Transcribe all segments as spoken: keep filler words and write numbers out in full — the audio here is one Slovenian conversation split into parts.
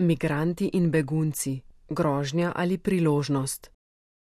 Migranti in begunci, grožnja ali priložnost.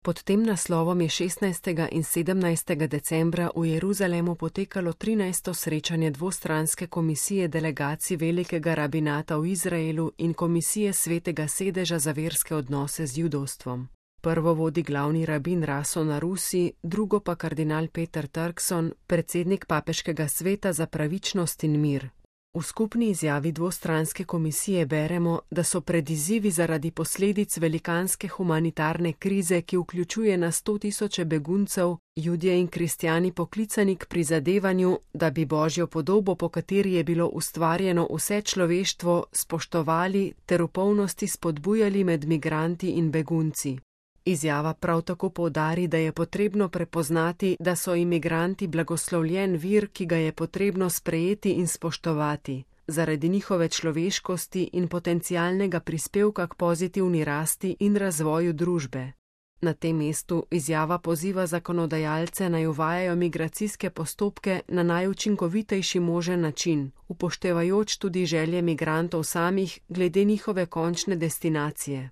Pod tem naslovom je šestnajstega in sedemnajstega decembra v Jeruzalemu potekalo trinajsto srečanje dvostranske komisije delegacij Velikega rabinata v Izraelu in komisije Svetega sedeža za verske odnose z judovstvom. Prvo vodi glavni rabin Rason Arusi, drugo pa kardinal Peter Turkson, predsednik papeškega sveta za pravičnost in mir. V skupni izjavi dvostranske komisije beremo, da so pred izzivi zaradi posledic velikanske humanitarne krize, ki vključuje na sto tisoče beguncev, Judje in kristjani poklicani k prizadevanju, da bi Božjo podobo, po kateri je bilo ustvarjeno vse človeštvo, spoštovali ter v polnosti spodbujali med migranti in begunci. Izjava prav tako poudari, da je potrebno prepoznati, da so imigranti blagoslovljen vir, ki ga je potrebno sprejeti in spoštovati, zaradi njihove človeškosti in potencialnega prispevka k pozitivni rasti in razvoju družbe. Na tem mestu izjava poziva zakonodajalce naj uvajajo migracijske postopke na najučinkovitejši možen način, upoštevajoč tudi želje migrantov samih glede njihove končne destinacije.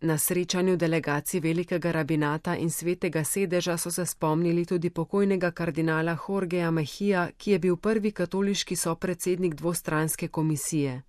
Na srečanju delegacij Velikega rabinata in Svetega sedeža so se spomnili tudi pokojnega kardinala Jorgeja Mejija, ki je bil prvi katoliški sopredsednik dvostranske komisije.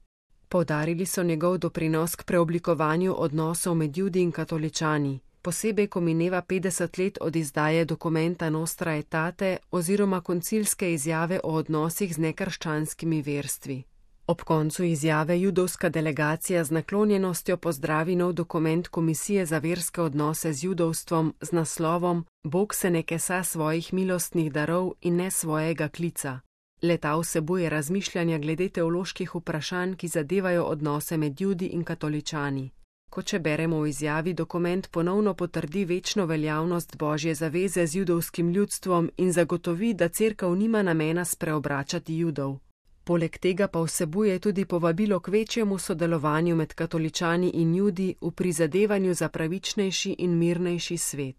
Poudarili so njegov doprinos k preoblikovanju odnosov med Judi in katoličani, posebej ko mineva petdeset let od izdaje dokumenta Nostra Aetate oziroma koncilske izjave o odnosih z nekrščanskimi verstvi. Ob koncu izjave judovska delegacija z naklonjenostjo pozdravi nov dokument Komisije za verske odnose z judovstvom z naslovom Bog se ne kesa svojih milostnih darov in ne svojega klica. Le-ta vsebuje razmišljanja glede teoloških vprašanj, ki zadevajo odnose med Judi in katoličani. Kot če beremo v izjavi, dokument ponovno potrdi večno veljavnost Božje zaveze z judovskim ljudstvom in zagotovi, da cerkev nima namena spreobračati Judov. Poleg tega pa vsebuje tudi povabilo k večjemu sodelovanju med katoličani in Judi v prizadevanju za pravičnejši in mirnejši svet.